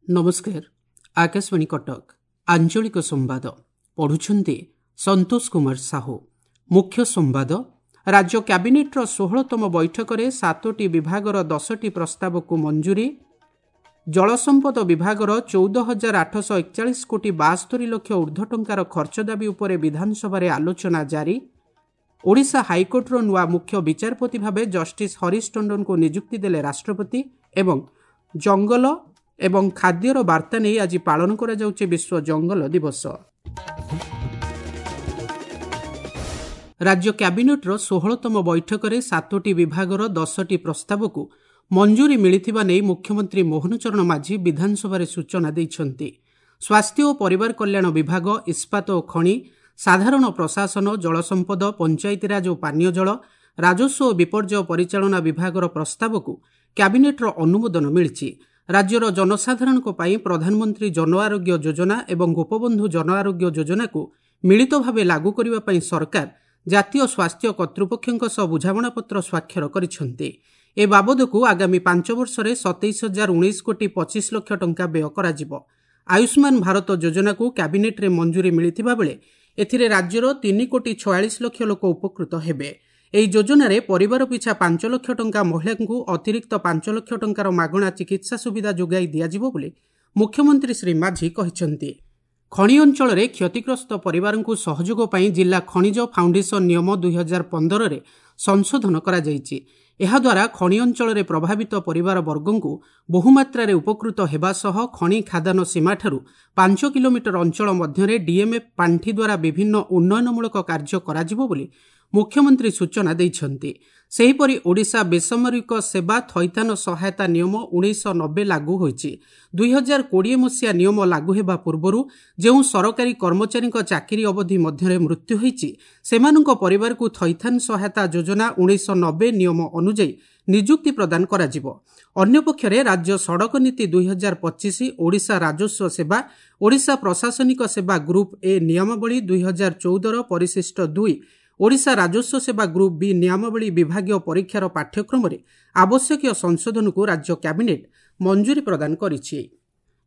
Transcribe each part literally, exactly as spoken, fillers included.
ନମସ୍କାର, ଆକାଶବାଣୀ କଟକ, ଆଞ୍ଚଳିକ ସମ୍ବାଦ ପଢ଼ୁଛନ୍ତି ସନ୍ତୋଷ କୁମାର ସାହୁ। ମୁଖ୍ୟ ସମ୍ବାଦ। ରାଜ୍ୟ କ୍ୟାବିନେଟ୍ର ଷୋହଳତମ ବୈଠକରେ ସାତୋଟି ବିଭାଗର ଦଶଟି ପ୍ରସ୍ତାବକୁ ମଞ୍ଜୁରୀ। ଜଳସମ୍ପଦ ବିଭାଗର ଚଉଦ ହଜାର ଆଠଶହ ଏକଚାଳିଶ କୋଟି ବାସ୍ତରି ଲକ୍ଷ ଉର୍ଦ୍ଧ୍ୱ ଟଙ୍କାର ଖର୍ଚ୍ଚ ଦାବି ଉପରେ ବିଧାନସଭାରେ ଆଲୋଚନା ଜାରି। ଓଡ଼ିଶା ହାଇକୋର୍ଟର ନୂଆ ମୁଖ୍ୟ ବିଚାରପତି ଭାବେ ଜଷ୍ଟିସ୍ ହରିଶ ଟଣ୍ଡନଙ୍କୁ ନିଯୁକ୍ତି ଦେଲେ ରାଷ୍ଟ୍ରପତି। ଏବଂ ଜଙ୍ଗଲ ଏବଂ ଖାଦ୍ୟର ବାର୍ତ୍ତା ନେଇ ଆଜି ପାଳନ କରାଯାଉଛି ବିଶ୍ୱ ଜଙ୍ଗଲ ଦିବସ। ରାଜ୍ୟ କ୍ୟାବିନେଟ୍ର ଷୋହଳତମ ବୈଠକରେ ସାତୋଟି ବିଭାଗର ଦଶଟି ପ୍ରସ୍ତାବକୁ ମଞ୍ଜୁରୀ ମିଳିଥିବା ନେଇ ମୁଖ୍ୟମନ୍ତ୍ରୀ ମୋହନ ଚରଣ ମାଝୀ ବିଧାନସଭାରେ ସୂଚନା ଦେଇଛନ୍ତି। ସ୍ୱାସ୍ଥ୍ୟ ଓ ପରିବାର କଲ୍ୟାଣ ବିଭାଗ, ଇସ୍ପାତ ଓ ଖଣି, ସାଧାରଣ ପ୍ରଶାସନ, ଜଳସମ୍ପଦ, ପଞ୍ଚାୟତିରାଜ ଓ ପାନୀୟ ଜଳ, ରାଜସ୍ୱ ଓ ବିପର୍ଯ୍ୟୟ ପରିଚାଳନା ବିଭାଗର ପ୍ରସ୍ତାବକୁ କ୍ୟାବିନେଟ୍ର ଅନୁମୋଦନ ମିଳିଛି। ରାଜ୍ୟର ଜନସାଧାରଣଙ୍କ ପାଇଁ ପ୍ରଧାନମନ୍ତ୍ରୀ ଜନ ଆରୋଗ୍ୟ ଯୋଜନା ଏବଂ ଗୋପବନ୍ଧୁ ଜନ ଆରୋଗ୍ୟ ଯୋଜନାକୁ ମିଳିତ ଭାବେ ଲାଗୁ କରିବା ପାଇଁ ସରକାର ଜାତୀୟ ସ୍ୱାସ୍ଥ୍ୟ କର୍ତ୍ତୃପକ୍ଷଙ୍କ ସହ ବୁଝାମଣାପତ୍ର ସ୍ୱାକ୍ଷର କରିଛନ୍ତି। ଏ ବାବଦକୁ ଆଗାମୀ ପାଞ୍ଚ ବର୍ଷରେ ସତେଇଶ ହଜାର ଉଣେଇଶ କୋଟି ପଚିଶ ଲକ୍ଷ ଟଙ୍କା ବ୍ୟୟ କରାଯିବ। ଆୟୁଷ୍ମାନ ଭାରତ ଯୋଜନାକୁ କ୍ୟାବିନେଟ୍ରେ ମଞ୍ଜୁରୀ ମିଳିଥିବା ବେଳେ ଏଥିରେ ରାଜ୍ୟର ତିନି କୋଟି ଛୟାଳିଶ ଲକ୍ଷ ଲୋକ ଉପକୃତ ହେବେ। ଏହି ଯୋଜନାରେ ପରିବାର ପିଛା ପାଞ୍ଚ ଲକ୍ଷ ଟଙ୍କା, ମହିଳାଙ୍କୁ ଅତିରିକ୍ତ ପାଞ୍ଚ ଲକ୍ଷ ଟଙ୍କାର ମାଗଣା ଚିକିତ୍ସା ସୁବିଧା ଯୋଗାଇ ଦିଆଯିବ ବୋଲି ମୁଖ୍ୟମନ୍ତ୍ରୀ ଶ୍ରୀ ମାଝୀ କହିଛନ୍ତି। ଖଣି ଅଞ୍ଚଳରେ କ୍ଷତିଗ୍ରସ୍ତ ପରିବାରଙ୍କୁ ସହଯୋଗ ପାଇଁ ଜିଲ୍ଲା ଖଣିଜ ଫାଉଣ୍ଡେସନ ନିୟମ ଦୁଇହଜାର ପନ୍ଦରରେ ସଂଶୋଧନ କରାଯାଇଛି। ଏହାଦ୍ୱାରା ଖଣି ଅଞ୍ଚଳରେ ପ୍ରଭାବିତ ପରିବାର ବର୍ଗଙ୍କୁ ବହୁମାତ୍ରାରେ ଉପକୃତ ହେବା ସହ ଖଣି ଖାଦାନ ସୀମାଠାରୁ ପାଞ୍ଚ କିଲୋମିଟର ଅଞ୍ଚଳ ମଧ୍ୟରେ ଡିଏମ୍ଏଫ୍ ପାଣ୍ଠି ଦ୍ୱାରା ବିଭିନ୍ନ ଉନ୍ନୟନମୂଳକ କାର୍ଯ୍ୟ କରାଯିବ ବୋଲି ମୁଖ୍ୟମନ୍ତ୍ରୀ ସୂଚନା ଦେଇଛନ୍ତି। ସେହିପରି ଓଡ଼ିଶା ବେସାମରିକ ସେବା ଥଇଥାନ ସହାୟତା ନିୟମ ଉଣେଇଶହ ନବେ ଲାଗୁ ହୋଇଛି। ଦୁଇହଜାର କୋଡ଼ିଏ ମସିହା ନିୟମ ଲାଗୁ ହେବା ପୂର୍ବରୁ ଯେଉଁ ସରକାରୀ କର୍ମଚାରୀଙ୍କ ଚାକିରି ଅବଧି ମଧ୍ୟରେ ମୃତ୍ୟୁ ହୋଇଛି, ସେମାନଙ୍କ ପରିବାରକୁ ଥଇଥାନ ସହାୟତା ଯୋଜନା ଉଣେଇଶହ ନବେ ନିୟମ ଅନୁଯାୟୀ ନିଯୁକ୍ତି ପ୍ରଦାନ କରାଯିବ। ଅନ୍ୟପକ୍ଷରେ ରାଜ୍ୟ ସଡ଼କ ନୀତି ଦୁଇହଜାର ପଚିଶ, ଓଡ଼ିଶା ରାଜସ୍ୱ ସେବା, ଓଡ଼ିଶା ପ୍ରଶାସନିକ ସେବା ଗ୍ରୁପ୍ ଏ ନିୟମାବଳୀ ଦୁଇହଜାର ଚଉଦର ପରିଶିଷ୍ଟ ଦୁଇ, ଓଡ଼ିଶା ରାଜସ୍ୱ ସେବା ଗ୍ରୁପ୍ ବି ନିୟମାବଳୀ ବିଭାଗୀୟ ପରୀକ୍ଷାର ପାଠ୍ୟକ୍ରମରେ ଆବଶ୍ୟକୀୟ ସଂଶୋଧନକୁ ରାଜ୍ୟ କ୍ୟାବିନେଟ୍ ମଞ୍ଜୁରୀ ପ୍ରଦାନ କରିଛି।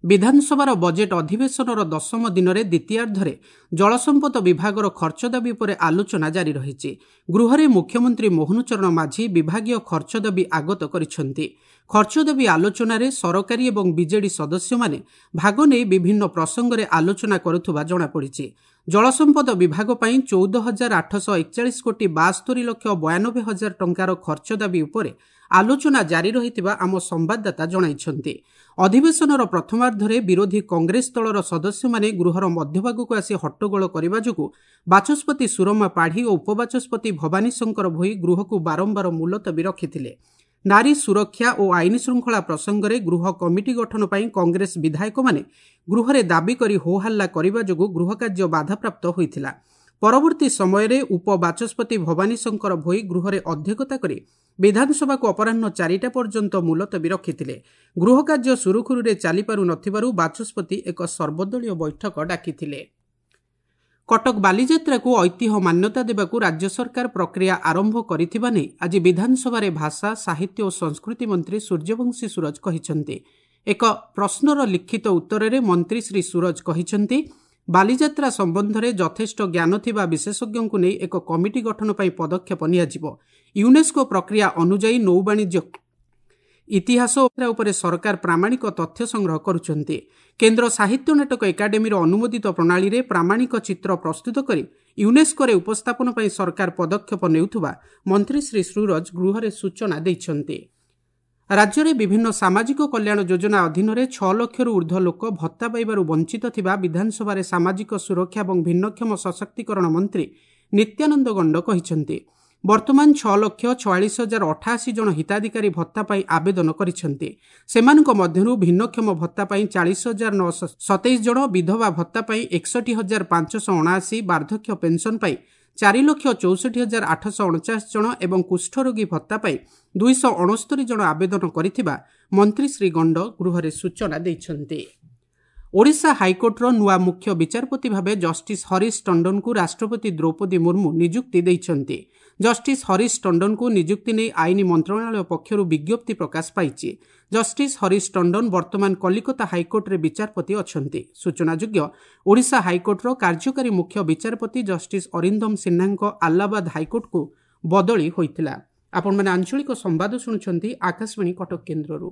ବିଧାନସଭାର ବଜେଟ୍ ଅଧିବେଶନର ଦଶମ ଦିନରେ ଦ୍ୱିତୀୟାର୍ଦ୍ଧରେ ଜଳସମ୍ପଦ ବିଭାଗର ଖର୍ଚ୍ଚ ଦାବି ଉପରେ ଆଲୋଚନା ଜାରି ରହିଛି। ଗୃହରେ ମୁଖ୍ୟମନ୍ତ୍ରୀ ମୋହନ ଚରଣ ମାଝୀ ବିଭାଗୀୟ ଖର୍ଚ୍ଚ ଦାବି ଆଗତ କରିଛନ୍ତି। ଖର୍ଚ୍ଚ ଦାବି ଆଲୋଚନାରେ ସରକାରୀ ଏବଂ ବିଜେଡି ସଦସ୍ୟମାନେ ଭାଗ ନେଇ ବିଭିନ୍ନ ପ୍ରସଙ୍ଗରେ ଆଲୋଚନା କରୁଥିବା ଜଣାପଡ଼ିଛି। ଜଳସମ୍ପଦ ବିଭାଗ ପାଇଁ ଚଉଦ ହଜାର ଆଠଶହ ଏକଚାଳିଶ କୋଟି ବାସ୍ତରି ଲକ୍ଷ ବୟାନବେ ହଜାର ଟଙ୍କାର ଖର୍ଚ୍ଚ ଦାବି ଉପରେ ଆଲୋଚନା ଜାରି ରହିଥିବା ଆମ ସମ୍ବାଦଦାତା ଜଣାଇଛନ୍ତି। ଅଧିବେଶନର ପ୍ରଥମାର୍ଦ୍ଧରେ ବିରୋଧୀ କଂଗ୍ରେସ ଦଳର ସଦସ୍ୟମାନେ ଗୃହର ମଧ୍ୟଭାଗକୁ ଆସି ହଟ୍ଟଗୋଳ କରିବା ଯୋଗୁଁ ବାଚସ୍ପତି ସୁରମା ପାଢ଼ୀ ଓ ଉପବାଚସ୍ପତି ଭବାନୀ ଶଙ୍କର ଭୋଇ ଗୃହକୁ ବାରମ୍ବାର ମୁଲତବୀ ରଖିଥିଲେ। ନାରୀ ସୁରକ୍ଷା ଓ ଆଇନ ଶୃଙ୍ଖଳା ପ୍ରସଙ୍ଗରେ ଗୃହ କମିଟି ଗଠନ ପାଇଁ କଂଗ୍ରେସ ବିଧାୟକମାନେ ଗୃହରେ ଦାବି କରି ହୋହାଲ୍ଲା କରିବା ଯୋଗୁଁ ଗୃହ କାର୍ଯ୍ୟ ବାଧାପ୍ରାପ୍ତ ହୋଇଥିଲା। ପରବର୍ତ୍ତୀ ସମୟରେ ଉପବାଚସ୍ପତି ଭବାନୀ ଶଙ୍କର ଭୋଇ ଗୃହରେ ଅଧ୍ୟକ୍ଷତା କରି ବିଧାନସଭାକୁ ଅପରାହ୍ନ ଚାରିଟା ପର୍ଯ୍ୟନ୍ତ ମୁଲତବୀ ରଖିଥିଲେ। ଗୃହ କାର୍ଯ୍ୟ ସୁରୁଖୁରୁରେ ଚାଲିପାରୁ ନଥିବାରୁ ବାଚସ୍ପତି ଏକ ସର୍ବଦଳୀୟ ବୈଠକ ଡାକିଥିଲେ। କଟକ ବାଲିଯାତ୍ରାକୁ ଐତିହ୍ୟ ମାନ୍ୟତା ଦେବାକୁ ରାଜ୍ୟ ସରକାର ପ୍ରକ୍ରିୟା ଆରମ୍ଭ କରିଥିବା ନେଇ ଆଜି ବିଧାନସଭାରେ ଭାଷା, ସାହିତ୍ୟ ଓ ସଂସ୍କୃତି ମନ୍ତ୍ରୀ ସୂର୍ଯ୍ୟବଂଶୀ ସୂରଜ କହିଛନ୍ତି। ଏକ ପ୍ରଶ୍ନର ଲିଖିତ ଉତ୍ତରରେ ମନ୍ତ୍ରୀ ଶ୍ରୀ ସୂରଜ କହିଛନ୍ତି, ବାଲିଯାତ୍ରା ସମ୍ବନ୍ଧରେ ଯଥେଷ୍ଟ ଜ୍ଞାନ ଥିବା ବିଶେଷଜ୍ଞଙ୍କୁ ନେଇ ଏକ କମିଟି ଗଠନ ପାଇଁ ପଦକ୍ଷେପ ନିଆଯିବ। ୟୁନେସ୍କୋ ପ୍ରକ୍ରିୟା ଅନୁଯାୟୀ ନୌବାଣିଜ୍ୟ ଇତିହାସ ଉପରେ ସରକାର ପ୍ରାମାଣିକ ତଥ୍ୟ ସଂଗ୍ରହ କରୁଛନ୍ତି। କେନ୍ଦ୍ର ସାହିତ୍ୟ ନାଟକ ଏକାଡେମୀର ଅନୁମୋଦିତ ପ୍ରଣାଳୀରେ ପ୍ରାମାଣିକ ଚିତ୍ର ପ୍ରସ୍ତୁତ କରି ୟୁନେସ୍କୋରେ ଉପସ୍ଥାପନ ପାଇଁ ସରକାର ପଦକ୍ଷେପ ନେଉଥିବା ମନ୍ତ୍ରୀ ଶ୍ରୀ ସୂରଜ ଗୃହରେ ସୂଚନା ଦେଇଛନ୍ତି। ରାଜ୍ୟରେ ବିଭିନ୍ନ ସାମାଜିକ କଲ୍ୟାଣ ଯୋଜନା ଅଧୀନରେ ଛଅ ଲକ୍ଷରୁ ଉର୍ଦ୍ଧ୍ୱ ଲୋକ ଭତ୍ତା ପାଇବାରୁ ବଞ୍ଚିତ ଥିବା ବିଧାନସଭାରେ ସାମାଜିକ ସୁରକ୍ଷା ଏବଂ ଭିନ୍ନକ୍ଷମ ସଶକ୍ତିକରଣ ମନ୍ତ୍ରୀ ନିତ୍ୟାନନ୍ଦ ଗଣ୍ଡ କହିଛନ୍ତି। ବର୍ତ୍ତମାନ ଛଅ ଲକ୍ଷ ଛୟାଳିଶ ହଜାର ଅଠାଅଶୀ ଜଣ ହିତାଧିକାରୀ ଭତ୍ତା ପାଇଁ ଆବେଦନ କରିଛନ୍ତି। ସେମାନଙ୍କ ମଧ୍ୟରୁ ଭିନ୍ନକ୍ଷମ ଭତ୍ତା ପାଇଁ ଚାଳିଶ ହଜାର ନଅଶହ ସତେଇଶ ଜଣ, ବିଧବା ଭତ୍ତା ପାଇଁ ଏକଷଠି ହଜାର ପାଞ୍ଚଶହ ଅଣାଅଶୀ, ବାର୍ଦ୍ଧକ୍ୟ ପେନ୍ସନ୍ ପାଇଁ ଚାରି ଲକ୍ଷ ଚଉଷଠି ହଜାର ଆଠଶହ ଅଣଚାଶ ଜଣ ଏବଂ କୁଷ୍ଠରୋଗୀ ଭତ୍ତା ପାଇଁ ଦୁଇଶହ ଅଣସ୍ତରୀ ଜଣ ଆବେଦନ କରିଥିବା ମନ୍ତ୍ରୀ ଶ୍ରୀ ଗଣ୍ଡ ଗୃହରେ ସୂଚନା ଦେଇଛନ୍ତି। ଓଡ଼ିଶା ହାଇକୋର୍ଟର ନୂଆ ମୁଖ୍ୟ ବିଚାରପତି ଭାବେ ଜଷ୍ଟିସ୍ ହରିଶ ଟଣ୍ଡନଙ୍କୁ ରାଷ୍ଟ୍ରପତି ଦ୍ରୌପଦୀ ମୁର୍ମୁ ନିଯୁକ୍ତି ଦେଇଛନ୍ତି। ଜଷ୍ଟିସ୍ ହରିଶ ଟଣ୍ଡନଙ୍କୁ ନିଯୁକ୍ତି ନେଇ ଆଇନ ମନ୍ତ୍ରଣାଳୟ ପକ୍ଷରୁ ବିଜ୍ଞପ୍ତି ପ୍ରକାଶ ପାଇଛି। ଜଷ୍ଟିସ୍ ହରିଶ ଟଣ୍ଡନ ବର୍ତ୍ତମାନ କଲିକତା ହାଇକୋର୍ଟରେ ବିଚାରପତି ଅଛନ୍ତି। ସୂଚନାଯୋଗ୍ୟ, ଓଡ଼ିଶା ହାଇକୋର୍ଟର କାର୍ଯ୍ୟକାରୀ ମୁଖ୍ୟ ବିଚାରପତି ଜଷ୍ଟିସ୍ ଅରିନ୍ଦମ ସିହ୍ନାଙ୍କ ଆହ୍ଲାବାଦ ହାଇକୋର୍ଟକୁ ବଦଳି ହୋଇଥିଲା। ଆପଣମାନେ ଆଞ୍ଚଳିକ ସମ୍ବାଦ ଶୁଣୁଛନ୍ତି ଆକାଶବାଣୀ କଟକ କେନ୍ଦ୍ରରୁ।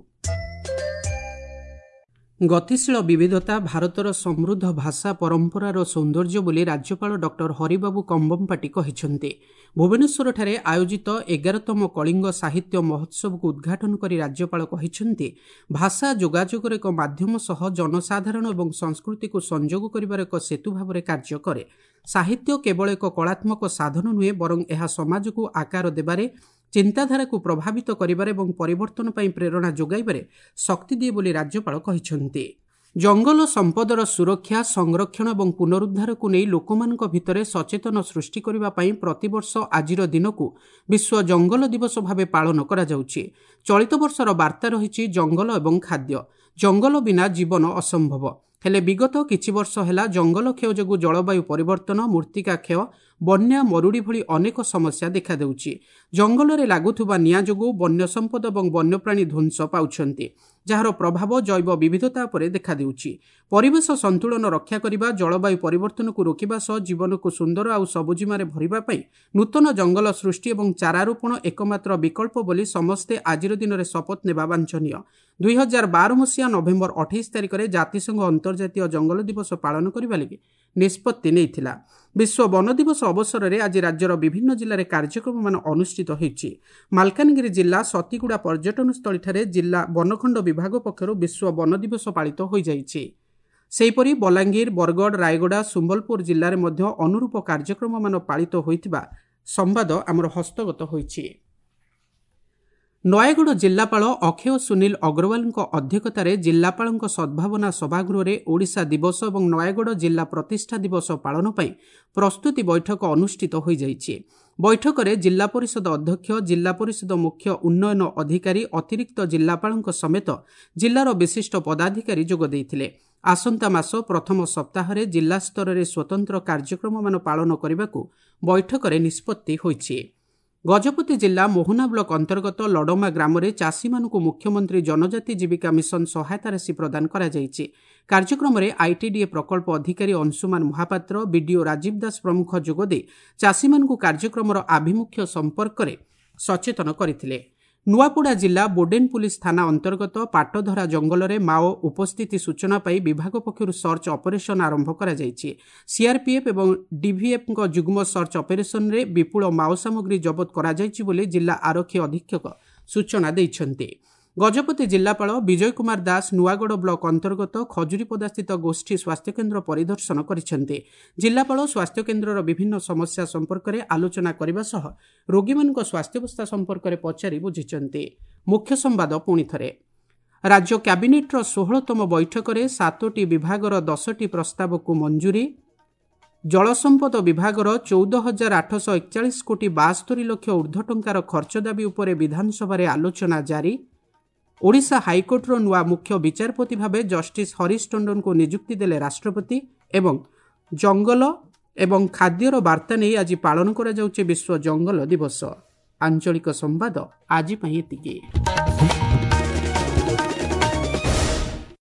ଗତିଶୀଳ ବିବିଧତା ଭାରତର ସମୃଦ୍ଧ ଭାଷା ପରମ୍ପରାର ସୌନ୍ଦର୍ଯ୍ୟ ବୋଲି ରାଜ୍ୟପାଳ ଡକ୍ଟର ହରିବାବୁ କମ୍ବମପାଟି କହିଛନ୍ତି। ଭୁବନେଶ୍ୱରଠାରେ ଆୟୋଜିତ ଏଗାରତମ କଳିଙ୍ଗ ସାହିତ୍ୟ ମହୋତ୍ସବକୁ ଉଦ୍ଘାଟନ କରି ରାଜ୍ୟପାଳ କହିଛନ୍ତି, ଭାଷା ଯୋଗାଯୋଗର ଏକ ମାଧ୍ୟମ ସହ ଜନସାଧାରଣ ଏବଂ ସଂସ୍କୃତିକୁ ସଂଯୋଗ କରିବାର ଏକ ସେତୁ ଭାବରେ କାର୍ଯ୍ୟ କରେ। ସାହିତ୍ୟ କେବଳ ଏକ କଳାତ୍ମକ ସାଧନ ନୁହେଁ, ବରଂ ଏହା ସମାଜକୁ ଆକାର ଦେବାରେ, ଚିନ୍ତାଧାରାକୁ ପ୍ରଭାବିତ କରିବାରେ ଏବଂ ପରିବର୍ତ୍ତନ ପାଇଁ ପ୍ରେରଣା ଯୋଗାଇବାରେ ଶକ୍ତି ଦିଏ ବୋଲି ରାଜ୍ୟପାଳ କହିଛନ୍ତି। ଜଙ୍ଗଲ ସମ୍ପଦର ସୁରକ୍ଷା, ସଂରକ୍ଷଣ ଏବଂ ପୁନରୁଦ୍ଧାରକୁ ନେଇ ଲୋକମାନଙ୍କ ଭିତରେ ସଚେତନ ସୃଷ୍ଟି କରିବା ପାଇଁ ପ୍ରତିବର୍ଷ ଆଜିର ଦିନକୁ ବିଶ୍ୱ ଜଙ୍ଗଲ ଦିବସ ଭାବେ ପାଳନ କରାଯାଉଛି। ଚଳିତ ବର୍ଷର ବାର୍ତ୍ତା ରହିଛି ଜଙ୍ଗଲ ଏବଂ ଖାଦ୍ୟ। ଜଙ୍ଗଲ ବିନା ଜୀବନ ଅସମ୍ଭବ। ହେଲେ ବିଗତ କିଛି ବର୍ଷ ହେଲା ଜଙ୍ଗଲ କ୍ଷୟ ଯୋଗୁଁ ଜଳବାୟୁ ପରିବର୍ତ୍ତନ, ମୃତ୍ତିକା କ୍ଷୟ, ବନ୍ୟା, ମରୁଡ଼ି ଭଳି ଅନେକ ସମସ୍ୟା ଦେଖାଦେଉଛି। ଜଙ୍ଗଲରେ ଲାଗୁଥିବା ନିଆଁ ଯୋଗୁଁ ବନ୍ୟ ସମ୍ପଦ ଏବଂ ବନ୍ୟପ୍ରାଣୀ ଧ୍ୱଂସ ପାଉଛନ୍ତି, ଯାହାର ପ୍ରଭାବ ଜୈବ ବିବିଧତା ଉପରେ ଦେଖାଦେଉଛି। ପରିବେଶ ସନ୍ତୁଳନ ରକ୍ଷା କରିବା, ଜଳବାୟୁ ପରିବର୍ତ୍ତନକୁ ରୋକିବା ସହ ଜୀବନକୁ ସୁନ୍ଦର ଆଉ ସବୁଜିମାରେ ଭରିବା ପାଇଁ ନୂତନ ଜଙ୍ଗଲ ସୃଷ୍ଟି ଏବଂ ଚାରାରୋପଣ ଏକମାତ୍ର ବିକଳ୍ପ ବୋଲି ସମସ୍ତେ ଆଜିର ଦିନରେ ଶପଥ ନେବା ବାଞ୍ଛନୀୟ। ଦୁଇ ହଜାର ବାର ମସିହା ନଭେମ୍ବର ଅଠେଇଶ ତାରିଖରେ ଜାତିସଂଘ ଅନ୍ତର୍ଜାତୀୟ ଜଙ୍ଗଲ ଦିବସ ପାଳନ କରିବା ଲାଗି ନିଷ୍ପତ୍ତି ନେଇଥିଲା। ବିଶ୍ୱ ବନ ଦିବସ ଅବସରରେ ଆଜି ରାଜ୍ୟର ବିଭିନ୍ନ ଜିଲ୍ଲାରେ କାର୍ଯ୍ୟକ୍ରମମାନ ଅନୁଷ୍ଠିତ ହୋଇଛି। ମାଲକାନଗିରି ଜିଲ୍ଲା ସତୀଗୁଡ଼ା ପର୍ଯ୍ୟଟନସ୍ଥଳୀଠାରେ ଜିଲ୍ଲା ବନଖଣ୍ଡ ବିଭାଗ ପକ୍ଷରୁ ବିଶ୍ୱ ବନ ଦିବସ ପାଳିତ ହୋଇଯାଇଛି। ସେହିପରି ବଲାଙ୍ଗୀର, ବରଗଡ଼, ରାୟଗଡ଼ା, ସମ୍ବଲପୁର ଜିଲ୍ଲାରେ ମଧ୍ୟ ଅନୁରୂପ କାର୍ଯ୍ୟକ୍ରମମାନ ପାଳିତ ହୋଇଥିବା ସମ୍ବାଦ ଆମର ହସ୍ତଗତ ହୋଇଛି। ନୟାଗଡ଼ ଜିଲ୍ଲାପାଳ ଅକ୍ଷୟ ସୁନୀଲ ଅଗ୍ରୱାଲଙ୍କ ଅଧ୍ୟକ୍ଷତାରେ ଜିଲ୍ଲାପାଳଙ୍କ ସଦ୍ଭାବନା ସଭାଗୃହରେ ଓଡ଼ିଶା ଦିବସ ଏବଂ ନୟାଗଡ଼ ଜିଲ୍ଲା ପ୍ରତିଷ୍ଠା ଦିବସ ପାଳନ ପାଇଁ ପ୍ରସ୍ତୁତି ବୈଠକ ଅନୁଷ୍ଠିତ ହୋଇଯାଇଛି। ବୈଠକରେ ଜିଲ୍ଲା ପରିଷଦ ଅଧ୍ୟକ୍ଷ, ଜିଲ୍ଲା ପରିଷଦ ମୁଖ୍ୟ ଉନ୍ନୟନ ଅଧିକାରୀ, ଅତିରିକ୍ତ ଜିଲ୍ଲାପାଳଙ୍କ ସମେତ ଜିଲ୍ଲାର ବିଶିଷ୍ଟ ପଦାଧିକାରୀ ଯୋଗ ଦେଇଥିଲେ। ଆସନ୍ତା ମାସ ପ୍ରଥମ ସପ୍ତାହରେ ଜିଲ୍ଲାସ୍ତରରେ ସ୍ୱତନ୍ତ୍ର କାର୍ଯ୍ୟକ୍ରମମାନ ପାଳନ କରିବାକୁ ବୈଠକରେ ନିଷ୍ପତ୍ତି ହୋଇଛି। ଗଜପତି ଜିଲ୍ଲା ମୋହନା ବ୍ଲକ ଅନ୍ତର୍ଗତ ଲଡମା ଗ୍ରାମରେ ଚାଷୀମାନଙ୍କୁ ମୁଖ୍ୟମନ୍ତ୍ରୀ ଜନଜାତି ଜୀବିକା ମିଶନ ସହାୟତା ରାଶି ପ୍ରଦାନ କରାଯାଇଛି। କାର୍ଯ୍ୟକ୍ରମରେ ଆଇଟିଡିଏ ପ୍ରକଳ୍ପ ଅଧିକାରୀ ଅଂଶୁମାନ ମହାପାତ୍ର, ବିଡିଓ ରାଜୀବ ଦାସ ପ୍ରମୁଖ ଯୋଗଦେଇ ଚାଷୀମାନଙ୍କୁ କାର୍ଯ୍ୟକ୍ରମର ଆଭିମୁଖ୍ୟ ସମ୍ପର୍କରେ ସଚେତନ କରିଥିଲେ। ନୂଆପଡ଼ା ଜିଲ୍ଲା ବୋଡେନ୍ ପୁଲିସ ଥାନା ଅନ୍ତର୍ଗତ ପାଟଧରା ଜଙ୍ଗଲରେ ମାଓ ଉପସ୍ଥିତି ସୂଚନା ପାଇ ବିଭାଗ ପକ୍ଷରୁ ସର୍ଚ୍ଚ ଅପରେସନ୍ ଆରମ୍ଭ କରାଯାଇଛି। ସିଆର୍ପିଏଫ୍ ଏବଂ ଡିଭିଏଫ୍ଙ୍କ ଯୁଗ୍ମ ସର୍ଚ୍ଚ ଅପରେସନ୍ରେ ବିପୁଳ ମାଓ ସାମଗ୍ରୀ ଜବତ କରାଯାଇଛି ବୋଲି ଜିଲ୍ଲା ଆରକ୍ଷୀ ଅଧୀକ୍ଷକ ସୂଚନା ଦେଇଛନ୍ତି। ଗଜପତି ଜିଲ୍ଲାପାଳ ବିଜୟ କୁମାର ଦାସ ନୂଆଗଡ଼ ବ୍ଲକ ଅନ୍ତର୍ଗତ ଖଜୁରୀପଦାସ୍ଥିତ ଗୋଷ୍ଠୀ ସ୍ୱାସ୍ଥ୍ୟକେନ୍ଦ୍ର ପରିଦର୍ଶନ କରିଛନ୍ତି। ଜିଲ୍ଲାପାଳ ସ୍ୱାସ୍ଥ୍ୟକେନ୍ଦ୍ରର ବିଭିନ୍ନ ସମସ୍ୟା ସମ୍ପର୍କରେ ଆଲୋଚନା କରିବା ସହ ରୋଗୀମାନଙ୍କ ସ୍ୱାସ୍ଥ୍ୟାବସ୍ଥା ସମ୍ପର୍କରେ ପଚାରି ବୁଝିଛନ୍ତି। ମୁଖ୍ୟ ସମ୍ବାଦ ପୁଣି ଥରେ। ରାଜ୍ୟ କ୍ୟାବିନେଟ୍ର ଷୋହଳତମ ବୈଠକରେ ସାତୋଟି ବିଭାଗର ଦଶଟି ପ୍ରସ୍ତାବକୁ ମଞ୍ଜୁରୀ। ଜଳସମ୍ପଦ ବିଭାଗର ଚଉଦ ହଜାର ଆଠଶହ ଏକଚାଳିଶ କୋଟି ବାସ୍ତରି ଲକ୍ଷ ଉର୍ଦ୍ଧ୍ୱ ଟଙ୍କାର ଖର୍ଚ୍ଚ ଦାବି ଉପରେ ବିଧାନସଭାରେ ଆଲୋଚନା ଜାରି। ଓଡ଼ିଶା ହାଇକୋର୍ଟର ନୂଆ ମୁଖ୍ୟ ବିଚାରପତି ଭାବେ ଜଷ୍ଟିସ୍ ହରିଶ ଟଣ୍ଡନଙ୍କୁ ନିଯୁକ୍ତି ଦେଲେ ରାଷ୍ଟ୍ରପତି। ଏବଂ ଜଙ୍ଗଲ ଏବଂ ଖାଦ୍ୟର ବାର୍ତ୍ତା ନେଇ ଆଜି ପାଳନ କରାଯାଉଛି ବିଶ୍ୱ ଜଙ୍ଗଲ ଦିବସ। ଆଞ୍ଚଳିକ ସମ୍ବାଦ ଆଜି ପାଇଁ ଏତିକି।